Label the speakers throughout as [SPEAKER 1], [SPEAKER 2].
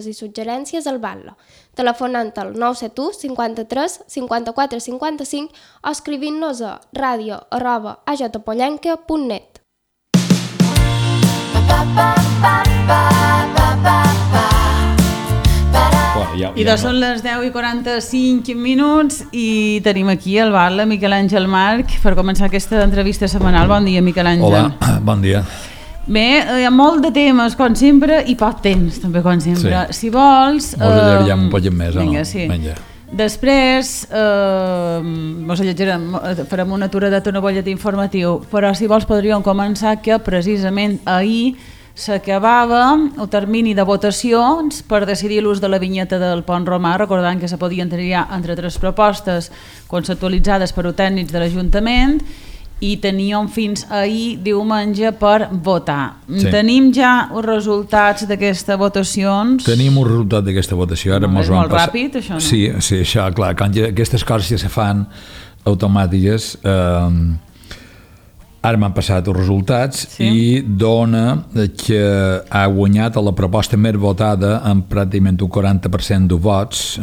[SPEAKER 1] i suggerències al Batlle, telefonant al 971 53 54 55 o escrivint-nos a radio@ajpollenca.net.
[SPEAKER 2] I són les 10:45 i tenim aquí el Batlle, Miquel Àngel March, per començar aquesta entrevista setmanal. Bon dia, Miquel Àngel.
[SPEAKER 3] Hola, bon dia.
[SPEAKER 2] Bé, hi ha molt de temes, com sempre, i poc temps, també, com sempre.
[SPEAKER 3] Sí.
[SPEAKER 2] Si vols...
[SPEAKER 3] Mos allarguem un poc més,
[SPEAKER 2] vinga,
[SPEAKER 3] no?
[SPEAKER 2] Sí.
[SPEAKER 3] Vinga.
[SPEAKER 2] Després, mos allargarem, farem una aturadeta, una bollet informatiu, però si vols podríem començar que precisament ahir s'acabava el termini de votacions per decidir l'ús de la vinyeta del Pont Romà, recordant que se podien triar entre 3 propostes conceptualitzades per tècnics de l'Ajuntament i teníem fins ahir diumenge per votar. Sí. Tenim ja els resultats d'aquestes votacions?
[SPEAKER 3] Tenim un resultat d'aquesta votació. Ara
[SPEAKER 2] és molt ràpid, això, no?
[SPEAKER 3] Sí, això, clar, quan aquestes coses ja se fan automàtiques, ara m'han passat els resultats, sí? I dona que ha guanyat a la proposta més votada amb pràcticament un 40% de vots,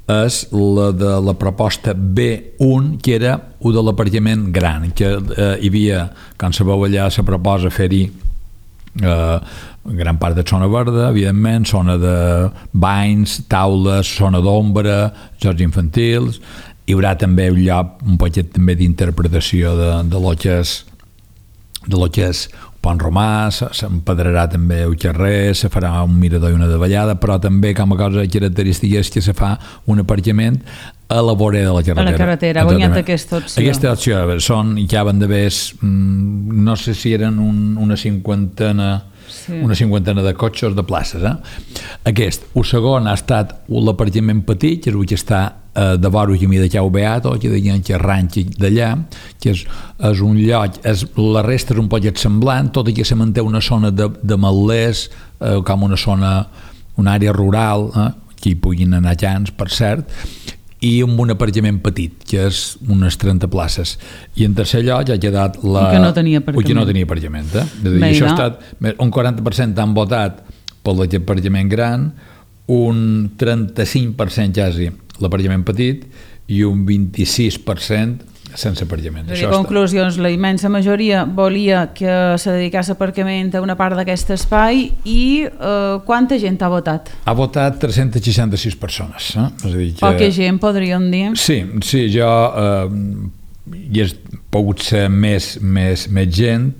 [SPEAKER 3] és la de la proposta B1, que era un de l'aparcament gran, que hi havia, quan sabeu allà se proposa fer-hi gran part de zona verda, evidentment, zona de banys, taules, zona d'ombra, jocs infantils. Hi haurà també un lloc, un poquet també d'interpretació de lo que és Pont Romà, s'empedrarà també el carrer, se farà un mirador i una davallada, però també com a cosa característica és que se fa un aparcament a la vorera de la carretera.
[SPEAKER 2] A la carretera, ha guanyat aquesta opció.
[SPEAKER 3] Aquesta opció, ja van d'haver, no sé si eren una cinquantena de cotxes de places. El segon ha estat l'aparcament petit, que és el que està de vora el camí de Chau Beato, que deien que ranxi d'allà, que és un lloc, la resta és un poquet semblant, tot i que se manté una zona de matlers, com una zona, una àrea rural, que hi puguin anar cans, per cert, i amb un aparcament petit, que és unes 30 places. I en tercer lloc ha quedat
[SPEAKER 2] el que no tenia
[SPEAKER 3] aparcament. És a dir, això ha estat, un 40% han votat per l'aparcament gran, un 35% quasi l'aparcament petit i un 26% sense aparcament.
[SPEAKER 2] Conclusions, la immensa majoria volia que se dedicés aparcament a una part d'aquest espai i quanta gent ha votat?
[SPEAKER 3] Ha votat 366 persones. És a dir que...
[SPEAKER 2] Poca gent, podríem dir.
[SPEAKER 3] Sí, jo hi ha pogut ser més gent,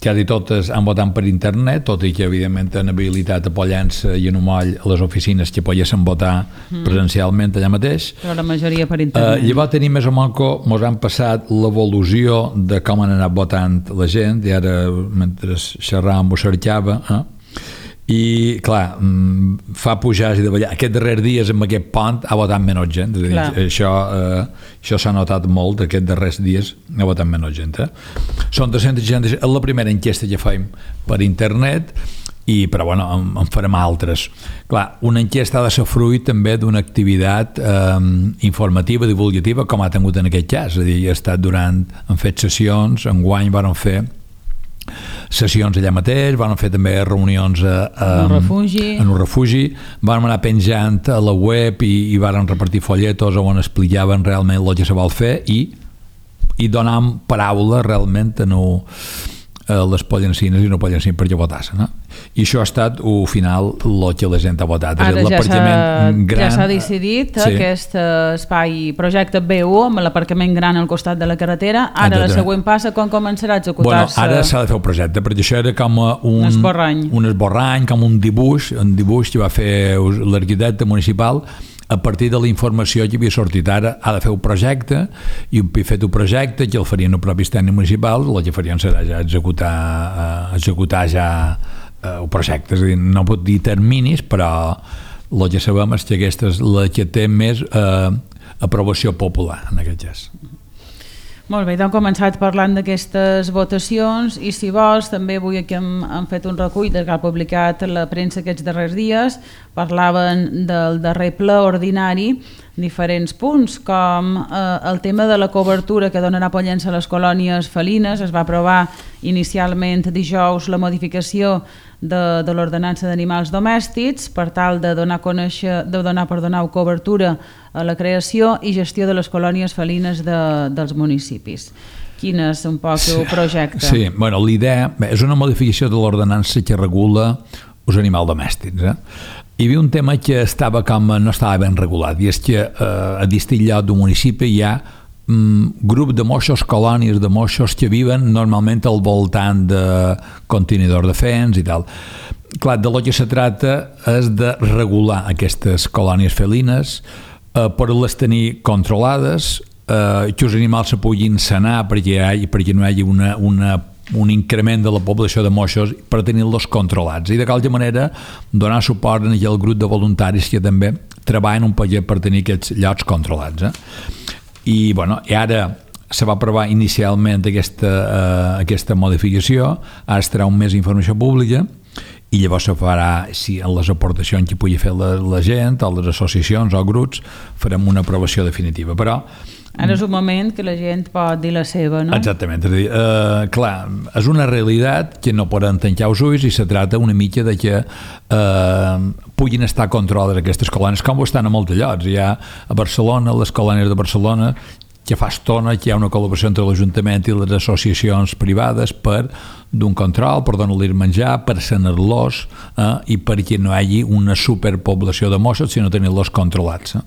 [SPEAKER 3] quasi totes han votat per internet, tot i que evidentment han habilitat a Pollença i a Numoll les oficines que poguessin votar presencialment allà mateix.
[SPEAKER 2] Però la majoria per internet.
[SPEAKER 3] Llavors tenim més o menys, ens han passat l'evolució de com han anat votant la gent, i ara mentre xerràvem ho cercava, i clar, fa pujar i davallar. Aquests darrers dies amb aquest pont ha votat menys gent, és a dir, això s'ha notat molt, aquests darrers dies ha votat menys gent. Són 360, és la primera enquesta que fem per internet, però bueno, en farem altres. Clar, una enquesta ha de ser fruit també d'una activitat informativa, divulgativa, com ha tingut en aquest cas, és a dir, han fet sessions, enguany van fer sessions allà mateix, van fer també reunions en un refugi, van anar penjant a la web i van repartir folletos on explicaven realment el que se vol fer i donant paraula realment a les pollencines i no pollencines perquè votassin. I això ha estat al final el que la gent ha votat.
[SPEAKER 2] Ara ja s'ha decidit aquest espai projecte B1 amb l'aparcament gran al costat de la carretera. Ara la següent passa, quan començarà a executar-se?
[SPEAKER 3] Ara s'ha de fer el projecte, perquè això era com un esborrany, com un dibuix que va fer l'arquitecte municipal a partir de la informació que havia sortit. Ara ha de fer un projecte, i un fet un projecte que el farien els propis tècnics municipals, el que farien serà ja executar ja el projecte. És a dir, no pot dir terminis, però el que sabem és que aquesta és la que té més aprovació popular en aquest cas.
[SPEAKER 2] Molt bé, hem començat parlant d'aquestes votacions i si vols també avui aquí hem fet un recull que ha publicat la premsa aquests darrers dies. Parlaven del darrer ple ordinari diferents punts, com el tema de la cobertura que donarà Pollença a les colònies felines. Es va aprovar inicialment dijous la modificació de l'ordenança d'animals domèstics per tal de donar cobertura a la creació i gestió de les colònies felines dels municipis. Quin és un poc el projecte?
[SPEAKER 3] Sí, bueno, l'idea és una modificació de l'ordenança que regula els animals domèstics. Hi havia un tema que no estava ben regulat, i és que a distinct lloc d'un municipi hi ha grup de moixos, colònies de moixos que viven normalment al voltant de contenidors de fens i tal. Clar, de lo que se trata és de regular aquestes colònies felines per les tenir controlades, que els animals se puguin sanar perquè no hi hagi un increment de la població de moixos per tenir-los controlats i de qualque manera donar suport a aquell grup de voluntaris que també treballen un poquet per tenir aquests llocs controlats. I ara se va aprovar inicialment aquesta modificació, ara es treu més informació pública i llavors se farà, si en les aportacions que pugui fer la gent o les associacions o grups, farem una aprovació definitiva, però
[SPEAKER 2] ara és un moment que la gent pot dir la seva, no?
[SPEAKER 3] Exactament, és a dir, clar, és una realitat que no poden tancar els ulls i se trata una mica de que puguin estar controlades aquestes colònies, com ho estan a molts llocs. Hi ha a Barcelona, les colònies de Barcelona, que fa estona que hi ha una col·laboració entre l'Ajuntament i les associacions privades per d'un control, per donar-los menjar, per sanar-los i perquè no hi hagi una superpoblació de moixos, sinó tenir-los controlats.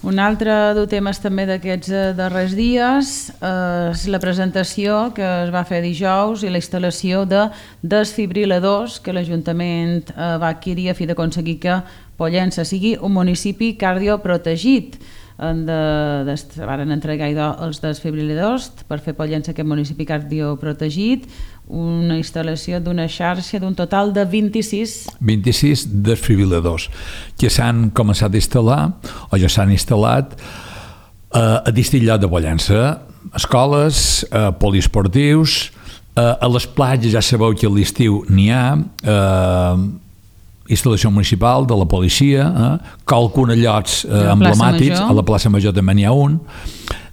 [SPEAKER 2] Un altre dels temes també d'aquests darrers dies és la presentació que es va fer dijous i la instal·lació de desfibriladors que l'Ajuntament va adquirir a fi d'aconseguir que Pollença sigui un municipi cardioprotegit. Van entregar els desfibriladors per fer Pollença aquest municipi cardioprotegit, una instal·lació d'una xarxa d'un total de 26
[SPEAKER 3] desfibriladors que s'han començat a instal·lar o ja s'han instal·lat a distints llocs de Pollença, escoles, poliesportius, a les platges ja sabeu que a l'estiu n'hi ha, instal·lació municipal, de la policia, qualcuna llocs emblemàtics, a la plaça Major també n'hi ha un.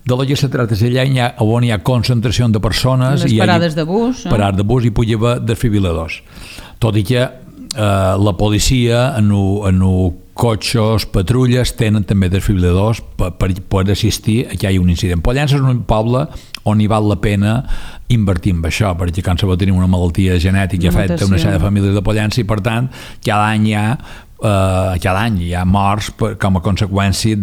[SPEAKER 3] De lo que se trata és allà on hi ha concentració de persones,
[SPEAKER 2] les parades de bus,
[SPEAKER 3] parades de bus, i pugui haver desfibriladors. Tot i que la policia en cotxes, patrulles tenen també desfibriladors per assistir a que hi hagi un incident. Pollença és un poble on hi val la pena invertir en això, perquè quan se va tenir una malaltia genètica afecta una sèrie de famílies de Pollença i per tant cada any hi ha morts com a conseqüència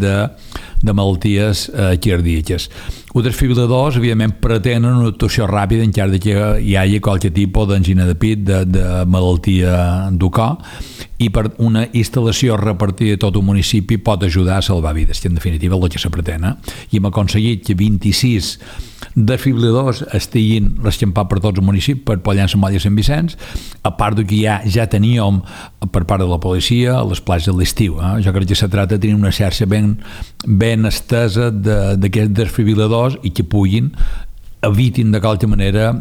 [SPEAKER 3] de malalties cardíaques. Els desfibriladors, evidentment, pretenen una actuació ràpida en cas que hi hagi qualsevol tipus d'angina de pit, de malaltia del cor, i per una instal·lació repartida a tot un municipi pot ajudar a salvar vides, que en definitiva és el que se pretén. I hem aconseguit que 26 desfibriladors estiguin rescampats per tots els municipis, per Pollença, Molla i Sant Vicenç, a part que ja teníem per part de la policia a les platges de l'estiu. Jo crec que se tracta de tenir una xarxa ben estesa d'aquests desfibriladors i que evitin de qualque manera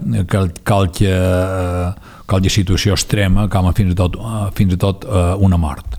[SPEAKER 3] qualque situació extrema, com fins i tot una mort.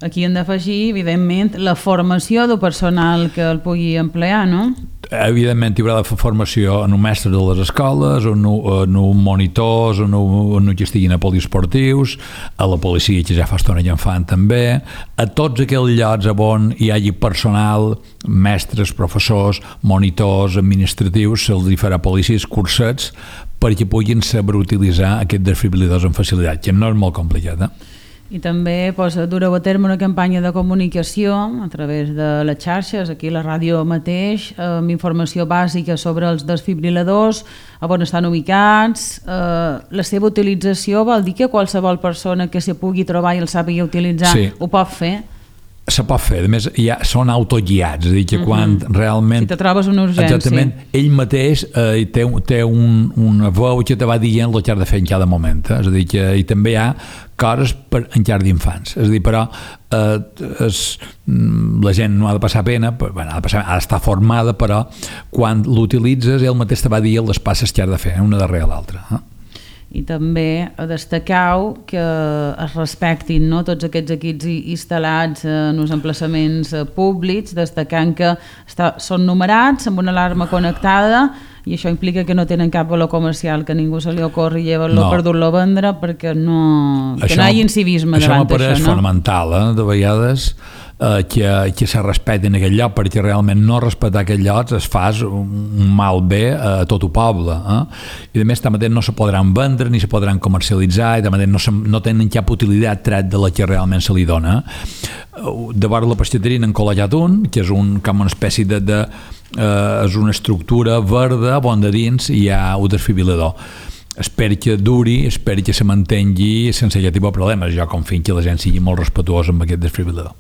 [SPEAKER 2] Aquí hem d'afegir, evidentment, la formació del personal que el pugui emplear, no?
[SPEAKER 3] Evidentment, hi haurà la formació en un mestre de les escoles, en un monitors, en un que estiguin a poliesportius, a la policia, que ja fa estona que en fan també, a tots aquells llocs on hi hagi personal, mestres, professors, monitors, administratius, se'ls farà policies cursets perquè puguin saber utilitzar aquests desfibriladors amb facilitat, que no és molt complicat,
[SPEAKER 2] I també dureu a terme una campanya de comunicació a través de les xarxes, aquí a la ràdio mateix, amb informació bàsica sobre els desfibriladors, on estan ubicats. La seva utilització vol dir que qualsevol persona que s'hi pugui trobar i el sàpiga utilitzar ho pot fer?
[SPEAKER 3] Se pot fer, a més són autoguiats, és a dir, que quan realment...
[SPEAKER 2] Si te trobes una urgència.
[SPEAKER 3] Exactament, ell mateix té una veu que te va dient el que has de fer en cada moment, és a dir, que hi també hi ha coses en llar d'infants, és a dir, però la gent no ha de passar pena, ha d'estar formada, però quan l'utilitzes ell mateix te va dir les passes que has de fer, una darrere l'altra.
[SPEAKER 2] i també destacau que es respectin, no, tots aquests equips instal·lats en uns emplaçaments públics, destacant que són numerats amb una alarma connectada i això implica que no tenen cap valor comercial, que ningú se li ocorri llevar-lo per dur-lo a vendre perquè no hi hagi incivisme davant d'això.
[SPEAKER 3] Això m'apareix fonamental, de vegades que se respecti en aquell lloc, perquè realment no respectar aquell lloc es fa un mal bé a tot el poble. I a més també no se podran vendre ni se podran comercialitzar i també no tenen cap utilitat tret de la que realment se li dona. De vora la pastisseria n'han col·legat un, que és com una espècie és una estructura verda on de dins hi ha un desfibrilador. Espero que duri, espero que se mantengui sense aquest tipus de problemes. Jo confio que la gent sigui molt respetuosa amb aquest desfibrilador.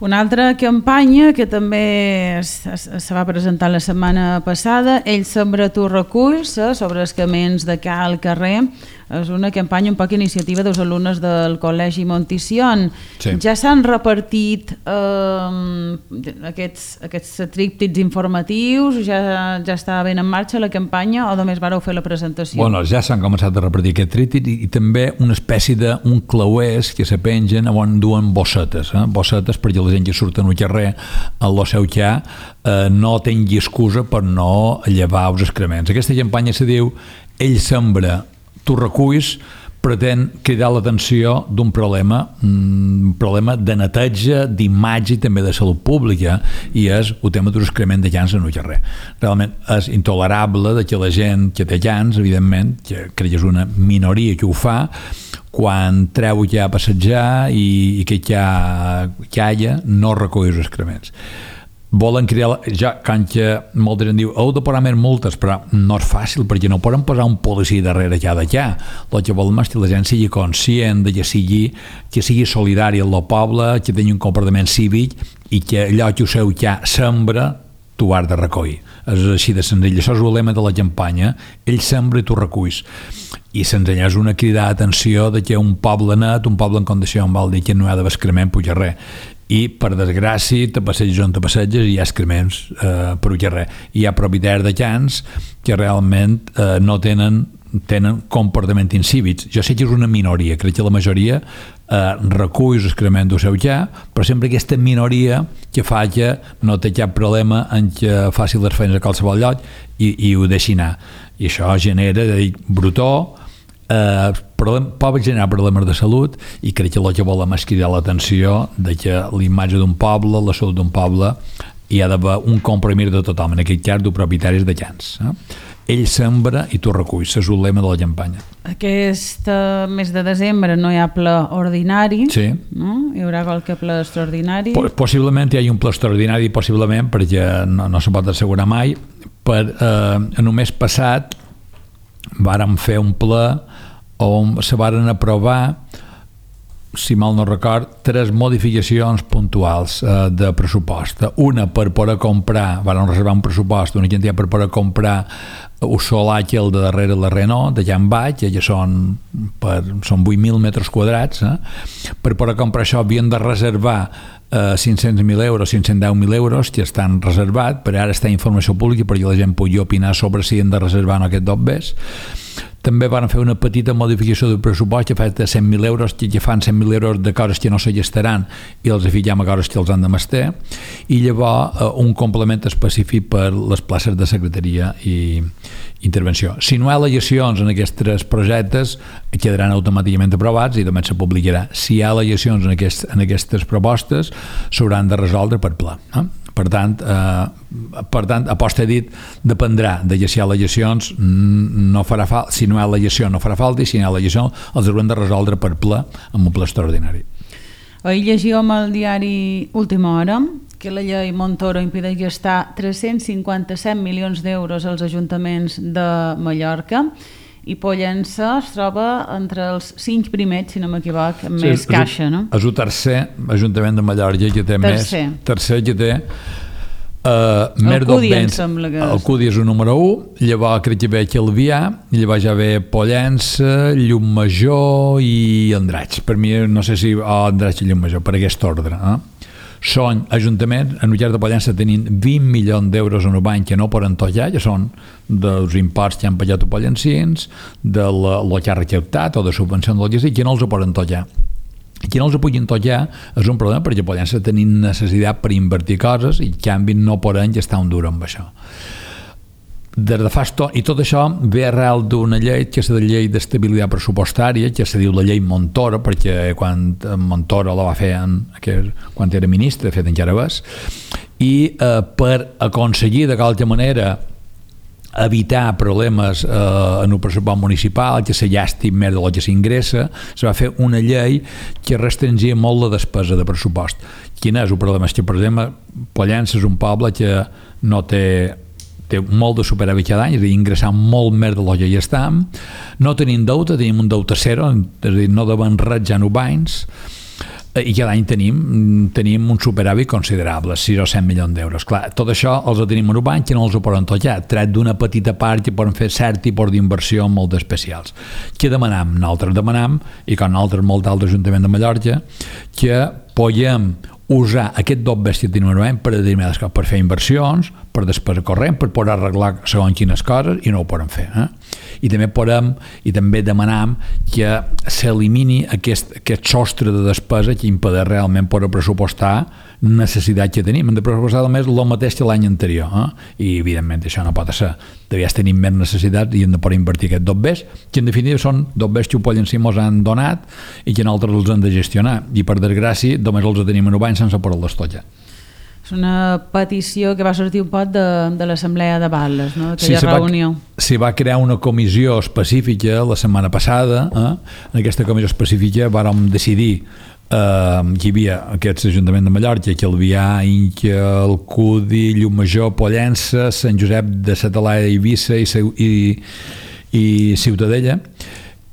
[SPEAKER 2] Una altra campanya que també se va presentar la setmana passada, Ell sembra tu reculls, sobre els camins de cal carrer. És una campanya un poc iniciativa dels alumnes del Col·legi Monticion. Sí. Ja s'han repartit aquests tríptics informatius, ja està ben en marxa la campanya o només vareu fer la presentació?
[SPEAKER 3] Bueno, ja s'han començat a repartir aquest tríptic i també una espècie d'un clauers que se pengen on duen bossetes, bossetes perquè la gent que surt al carrer en el seu xà no tingui excusa per no llevar els excrements. Aquesta campanya se diu Ell sembra tu reculls, pretén cridar l'atenció d'un problema de neteja, d'imatge i també de salut pública, i és el tema dels excrements de llans en el carrer. Realment és intolerable que la gent que té llans, evidentment, que crec que és una minoria que ho fa, quan treu ja a passejar i que calla, no recull els excrements. Volen crear, quan molta gent diu heu de posar més multes, però no és fàcil perquè no poden posar un policia darrere cada llà. El que volen és que la gent sigui conscient, que sigui solidari amb el poble, que tingui un comportament cívic i que allò que ho seu ja sembra tu has de recollir. És així de senzill. Això és el lema de la campanya, Ell sembra i tu reculls. I senzilla és una crida d'atenció de que un poble net, un poble en condició vol dir que no hi ha d'haver excrement per carrer. I per desgràcia te passeges on te passeges i hi ha excrements per carrer. Hi ha propietaris de llans que realment no tenen comportament incívics. Jo sé que és una minoria, crec que la majoria recull els excrements del seu llà, però sempre aquesta minoria que fa que no té cap problema en que faci les feines a qualsevol lloc i ho deixi anar. I això genera brutó, pot generar problemes de salut i crec que el que volem és cridar l'atenció de que l'imatge d'un poble, la salut d'un poble, hi ha d'haver un compromís de tothom, en aquest cas dels propietaris de llans. Ell sembra i tu reculls, és el lema de la campanya.
[SPEAKER 2] Aquest mes de desembre no hi ha ple ordinari,
[SPEAKER 3] sí.
[SPEAKER 2] No? Hi haurà qualque ple extraordinari?
[SPEAKER 3] Possiblement hi ha un ple extraordinari, possiblement, perquè no se pot assegurar mai. En un mes passat vàrem fer un ple on se varen aprovar, si mal no record, 3 modificacions puntuals de pressupost. Una per poder comprar, varen reservar un pressupost, una quantitat per poder comprar el solar que el de darrere la Renault, d'allà en baix, que són 8.000 metres quadrats. Per poder comprar això havien de reservar 500.000 euros, 510.000 euros que estan reservats, però ara està informació pública perquè la gent pugui opinar sobre si han de reservar o no aquests dobbers. També van fer una petita modificació del pressupost que fa de 100.000 euros, que fan 100.000 euros de coses que no se gestaran i els afillem a coses que els han de mestre, i llavors un complement específic per les places de secretaria i intervenció. Si no hi ha al·legacions en aquests projectes, quedaran automàticament aprovats i també se publicarà. Si hi ha al·legacions en aquestes propostes, s'hauran de resoldre per pla. Per tant, a posta dit, dependrà de si hi ha al·legacions, si no hi ha al·legació no farà falta, i si hi ha al·legació els haurem de resoldre per ple amb un ple extraordinari.
[SPEAKER 2] Ahir llegíem al diari Última Hora que la llei Montoro impedeix gastar 357 milions d'euros als ajuntaments de Mallorca i Pollença es troba entre els 5 primers, si no m'equivoc, amb més caixa, no?
[SPEAKER 3] És el tercer ajuntament de Mallorca que té més... Tercer que té
[SPEAKER 2] el Cudi, em sembla que és.
[SPEAKER 3] El Cudi és el número 1, llavors crec que ve Calvià, llavors ja ve Pollença, Llumajor i Andratx. Per mi, no sé si Andratx i Llumajor, per aquest ordre. són ajuntaments, en Ullars de Pollença tenim 20 milions d'euros en un banc que no poden tocar, que són dels imports que han pagat a pollencins, de lo que ha recaptat o de subvencions del que sigui, que no els ho poden tocar. Qui no els puguin tocar és un problema perquè Pollença tenim necessitat per invertir coses i en canvi no poden estar un dur amb això. Des de fa i tot això ve arrel d'una llei que és la llei d'estabilitat pressupostària, que se diu la llei Montoro, perquè quan Montoro la va fer quan era ministre, de fet encara és, i per aconseguir de qualque manera evitar problemes en el pressupost municipal, que se llasti més del que s'ingressa, se va fer una llei que restringia molt la despesa de pressupost. Quin és el problema? És que, per exemple, Pollença és un poble que no té molt de superàvit cada any, és a dir, ingressant molt més del que hi estem, no tenim deute, tenim un deute zero, és a dir, no devem res ja en anys, i cada any tenim un superàvit considerable, 6 o 7 milions d'euros. Clar, tot això els tenim en un banc que no els ho poden tocar, tret d'una petita part que poden fer cert tipus d'inversió molt especials. Què demanem? Nosaltres demanem, i com nosaltres molt d'altres ajuntaments de Mallorca, que podem usar aquest doble que tenim en un banc per determinades coses, per fer inversions, per despesa corrent, per poder arreglar segons quines coses, i no ho poden fer. I també demanem que s'elimini aquest sostre de despesa que impedeix realment poder pressupostar necessitat que tenim. Hem de pressupostar només el mateix que l'any anterior, i evidentment això no pot ser. Devies tenir més necessitats i hem de poder invertir aquests dobbers, que en definitiva són dobbers que Pollença ens han donat i que nosaltres els hem de gestionar, i per desgràcia només els tenim en un any sense poder-les tocar.
[SPEAKER 2] És una petició que va sortir un poc de l'Assemblea de Balles, no? Aquella reunió.
[SPEAKER 3] S'hi va crear una comissió específica la setmana passada. En aquesta comissió específica vàrem decidir que hi havia aquests ajuntaments de Mallorca, Calvià, Inca, Alcudi, Llumajor, Pollença, Sant Josep de la Talaia, Eivissa i Ciutadella,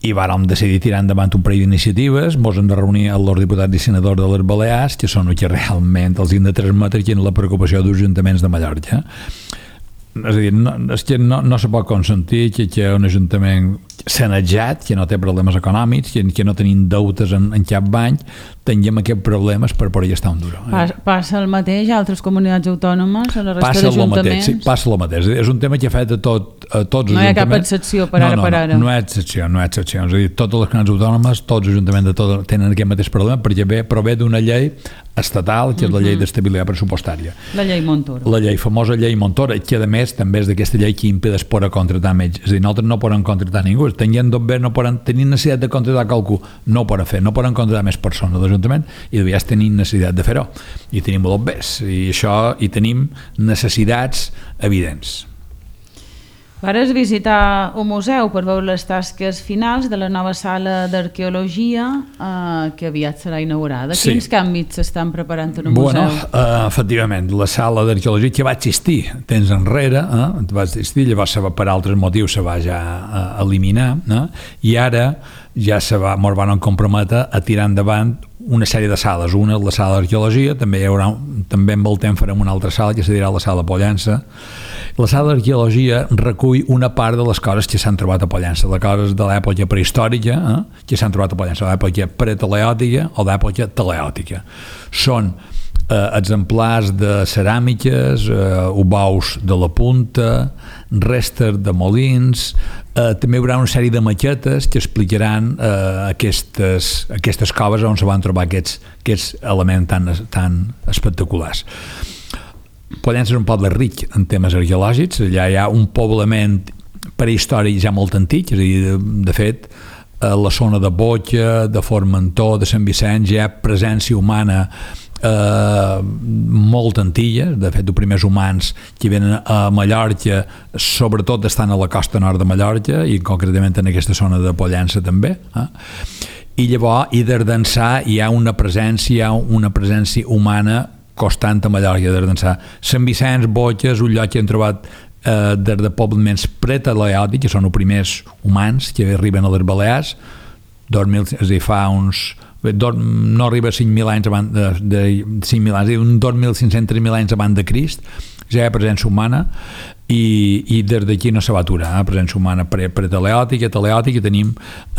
[SPEAKER 3] i vàrem decidir tirar endavant un parell d'iniciatives. Ens hem de reunir amb els diputats i senadors de les Balears, que són els que realment els hem de transmetre quina és la preocupació dels ajuntaments de Mallorca. És a dir, no se pot consentir que un ajuntament sanejat, que no té problemes econòmics, que no tenim deutes en cap banc, tinguem aquests problemes per poder estar un duro.
[SPEAKER 2] Passa el mateix a altres comunitats autònomes, a la resta d'ajuntaments?
[SPEAKER 3] Sí, passa el mateix. És un tema que afecta a tots els ajuntaments.
[SPEAKER 2] No hi ha cap excepció per ara.
[SPEAKER 3] No hi ha excepció. És a dir, totes les comunitats autònomes, tots els ajuntaments tenen aquest mateix problema, perquè prové d'una llei estatal, que és la llei d'estabilitat pressupostària.
[SPEAKER 2] La llei Montoro.
[SPEAKER 3] La famosa llei Montoro, que a més també és d'aquesta llei que impedeix poder contractar metges. És a dir, nosaltres no podem contractar ningú. Tenien dobbers, no poden tenir necessitat de contractar qualcú. No ho poden fer, no poden contractar més persones de l'Ajuntament i devies tenir necessitat de fer-ho. I tenim dobbers, i tenim necessitats evidents.
[SPEAKER 2] Vares visitar un museu per veure les tasques finals de la nova sala d'arqueologia que aviat serà inaugurada.
[SPEAKER 3] Sí.
[SPEAKER 2] Quins canvis s'estan preparant en el museu?
[SPEAKER 3] Efectivament, la sala d'arqueologia que va existir temps enrere, va existir, llavors per altres motius se va ja eliminar, i ara ja ens van comprometre a tirar endavant una sèrie de sales. Una és la sala d'arqueologia, també amb el temps farem una altra sala que se dirà la sala Pollença. La sala d'arqueologia recull una part de les coses que s'han trobat a Pollença, les coses de l'època prehistòrica que s'han trobat a Pollença, l'època preteleòtica o l'època teleòtica. Són exemplars de ceràmiques, obaus de la punta, restes de molins, també hi haurà una sèrie de maquetes que explicaran aquestes coves on se van trobar aquests elements tan espectaculars. Pollença és un poble ric en temes arqueològics, allà hi ha un poblament prehistòric ja molt antic, és a dir, de fet, a la zona de Boca, de Formentor, de Sant Vicenç, hi ha presència humana molt antiga. De fet, els primers humans que venen a Mallorca sobretot estan a la costa nord de Mallorca i concretament en aquesta zona de Pollença també, i llavors des d'ençà hi ha una presència humana constant a Mallorca. Des d'ençà Sant Vicenç, Boca, és un lloc que hem trobat des de poblaments preteleòtics, que són els primers humans que arriben a les Balears, és a dir, fa uns no arriba a 5.000 anys abans de 5.000 anys, un 2.500, 3.000 anys abans de Crist, ja hi ha presència humana i des d'aquí no se va aturar, presència humana preteleòtica, teleòtica, i tenim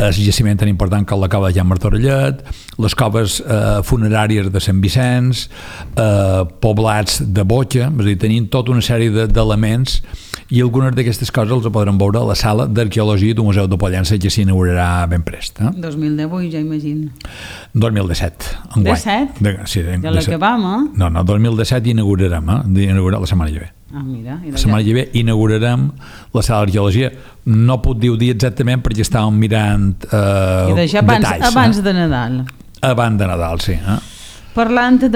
[SPEAKER 3] el jaciment tan important com la cova de Can Martorellet, les coves funeràries de Sant Vicenç, poblats de Botxa, és a dir, tenim tota una sèrie d'elements i algunes d'aquestes coses les podrem veure a la sala d'arqueologia del Museu de Pollença, que s'inaugurarà ben prest.
[SPEAKER 2] 2018, ja imagino.
[SPEAKER 3] 2017, enguany.
[SPEAKER 2] 17?
[SPEAKER 3] Sí,
[SPEAKER 2] ja l'acabam,
[SPEAKER 3] No, 2017 inaugurarem, d'inaugurar la setmana que ve.
[SPEAKER 2] Mira,
[SPEAKER 3] la setmana que ve inaugurarem la sala d'arqueologia. No puc dir exactament perquè estàvem mirant detalls.
[SPEAKER 2] Abans de Nadal.
[SPEAKER 3] Abans de Nadal, sí.
[SPEAKER 2] Parlant de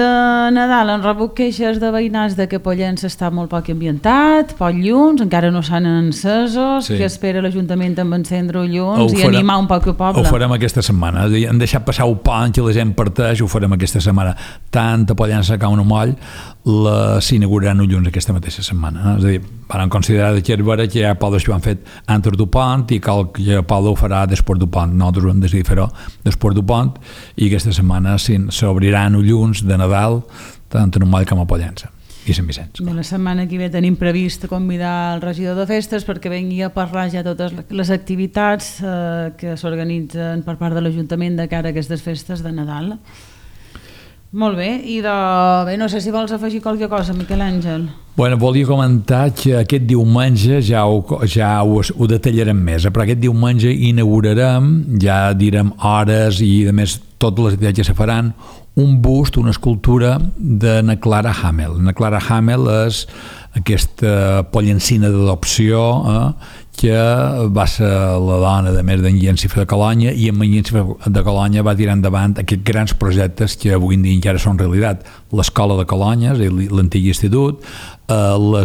[SPEAKER 2] Nadal, han rebut queixes de veïnats de que Pollença està molt poc ambientat, poc llums, encara no s'han encesos, que espera l'Ajuntament amb encendre llums i animar un poc el poble.
[SPEAKER 3] Ho farem aquesta setmana. Han deixat passar un pont que la gent parteix, ho farem aquesta setmana. Tant a Pollença com a Moll s'inauguraran llums aquesta mateixa setmana. És a dir, van considerar que és vera que hi ha pobles que ho han fet antes del pont i que el poble ho farà després del pont. Nosaltres hem decidit fer-ho després del pont i aquesta setmana s'obriran llums de Nadal tant a Moll com a Pollença i Sant Vicenç.
[SPEAKER 2] La setmana que ve tenim previst convidar el regidor de festes perquè vengui a parlar ja totes les activitats que s'organitzen per part de l'Ajuntament de cara a aquestes festes de Nadal. Molt bé, i no sé si vols afegir qualque cosa, Miquel Àngel.
[SPEAKER 3] Volia comentar que aquest diumenge ja ho detallarem més, però aquest diumenge inaugurarem, ja direm hores i a més totes les activitats que se faran, un bust, una escultura de na Clara Hamel. Na Clara Hamel és aquesta pollencina d'adopció que va ser la dona de més d'en Llencifer de Colonya i en Llencifer de Colonya va tirar endavant aquests grans projectes que avui en dia encara són realitat. L'escola de Colonya, l'antic institut, la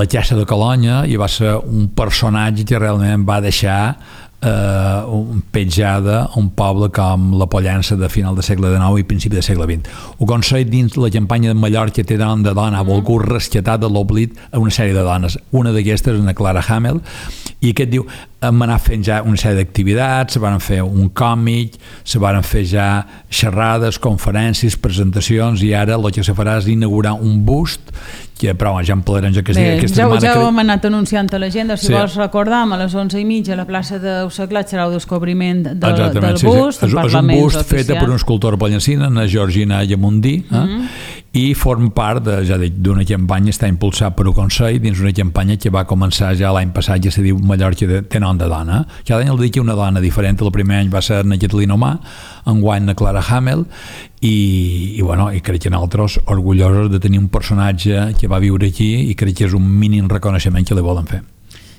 [SPEAKER 3] Caixa de Colonya, i va ser un personatge que realment va deixar petjada a un poble com la Pollença de final del segle XIX i principi del segle XX. Ho aconseguit dins la campanya de Mallorca té nom de dona, ha volgut rescatar de l'oblit a una sèrie de dones. Una d'aquestes és una Clara Hamel, i aquest diu, hem anat fent ja una sèrie d'activitats, se van fer un còmic, se van fer ja xerrades, conferències, presentacions, i ara el que se farà és inaugurar un bust que, però ja en parlarem aquesta setmana.
[SPEAKER 2] Ja ho hem anat anunciant a l'agenda, si vols recordar, a les 11:30 a la plaça d'Eusaclat serà el descobriment del bust.
[SPEAKER 3] És un bust fet per una escultora pollencina, na Georgina Llamundí, i forma part d'una campanya, està impulsat per un Consell dins una campanya que va començar ja l'any passat, ja se diu Mallorca té nom de dona. Cada any el dedica una dona diferent. El primer any va ser na Catalina Omà, enguany na Clara Hamel, i crec que nosaltres orgullosos de tenir un personatge que va viure aquí i crec que és un mínim reconeixement que li volen fer.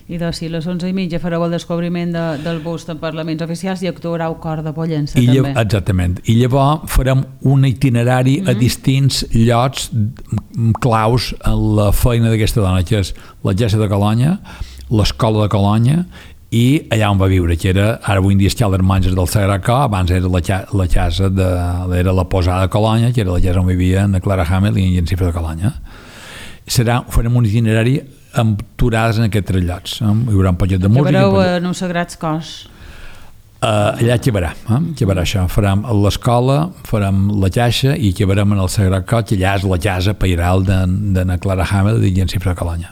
[SPEAKER 2] I doncs si a les 11:30 fareu el descobriment del bust en parlaments oficials i actuarà el cor de Pollença també.
[SPEAKER 3] Exactament, i llavors farem un itinerari a distints llocs claus en la feina d'aquesta dona, que és la Caixa de Colonya, l'escola de Colonya i allà on va viure, que era, ara avui en dia escal dels monges del Sagrat Cor, abans era la casa era la posada de Colonya, que era la casa on vivia na Clara Hamel i en Llencifer de Colonya. Farem un itinerari amb aturades en aquests tres llocs. Hi haurà un poquet de música.
[SPEAKER 2] Acabareu en uns sagrats cors.
[SPEAKER 3] Allà acabarà això. Farem l'escola, farem la Caixa i acabarem en el Sagrat Cor, que allà és la casa pairal de na Clara Hamel i Llencifer de Colonya.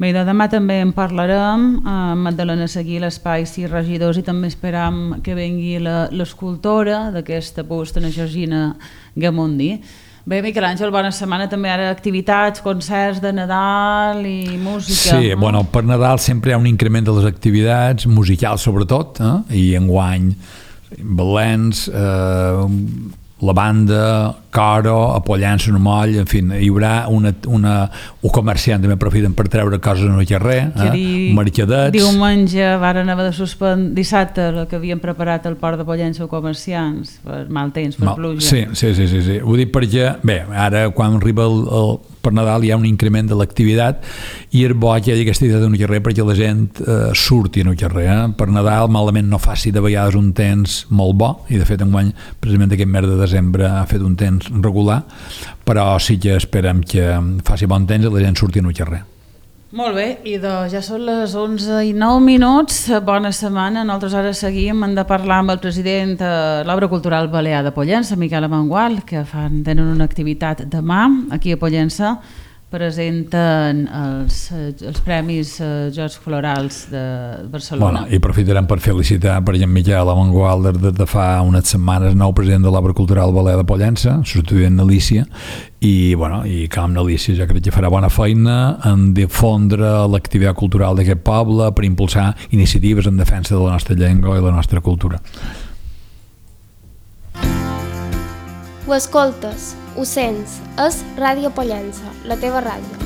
[SPEAKER 2] Bé, demà també en parlarem amb Magdalena Seguí, l'Espai 6 regidors, i també esperam que vengui l'escultora d'aquesta bust, na Georgina Llamundí. Bé, Miquel Àngel, bona setmana. També ara activitats, concerts de Nadal i música.
[SPEAKER 3] Sí, per Nadal sempre hi ha un increment de les activitats, musicals sobretot, i enguany Valens, la banda, Coro, a Pollença, a Moll, en fi, hi haurà un comerciant també aprofiten per treure coses en el carrer, mercadets.
[SPEAKER 2] Diumenge varen haver de suspendre dissabte el que havien preparat al port de Pollença comerciants per mal temps, per pluja.
[SPEAKER 3] Sí. Ho dic perquè, bé, ara quan arriba per Nadal hi ha un increment de l'activitat i és bo que hi hagi aquesta activitat en el carrer perquè la gent surti en el carrer. Per Nadal malament no faci de vegades un temps molt bo, i de fet enguany precisament aquest mes de desembre ha fet un temps regular, però sí que esperem que faci bon temps i la gent surti en el carrer.
[SPEAKER 2] Molt bé, i ja són les 11:09. Bona setmana. Nosaltres ara seguim. Hem de parlar amb el president de l'Obra Cultural Balear de Pollença, Miquel Amengual, que tenen una activitat demà aquí a Pollença. Presenten els Premis Jocs Florals de Barcelona.
[SPEAKER 3] I aprofitarem per felicitar per en Miquel Amengual des de fa unes setmanes, nou president de l'Obra Cultural Balear de Pollença, substituint Alícia, i com Alícia jo crec que farà bona feina en difondre l'activitat cultural d'aquest poble per impulsar iniciatives en defensa de la nostra llengua i la nostra cultura.
[SPEAKER 1] Ho escoltes, ho sents, és Ràdio Pollença, la teva ràdio.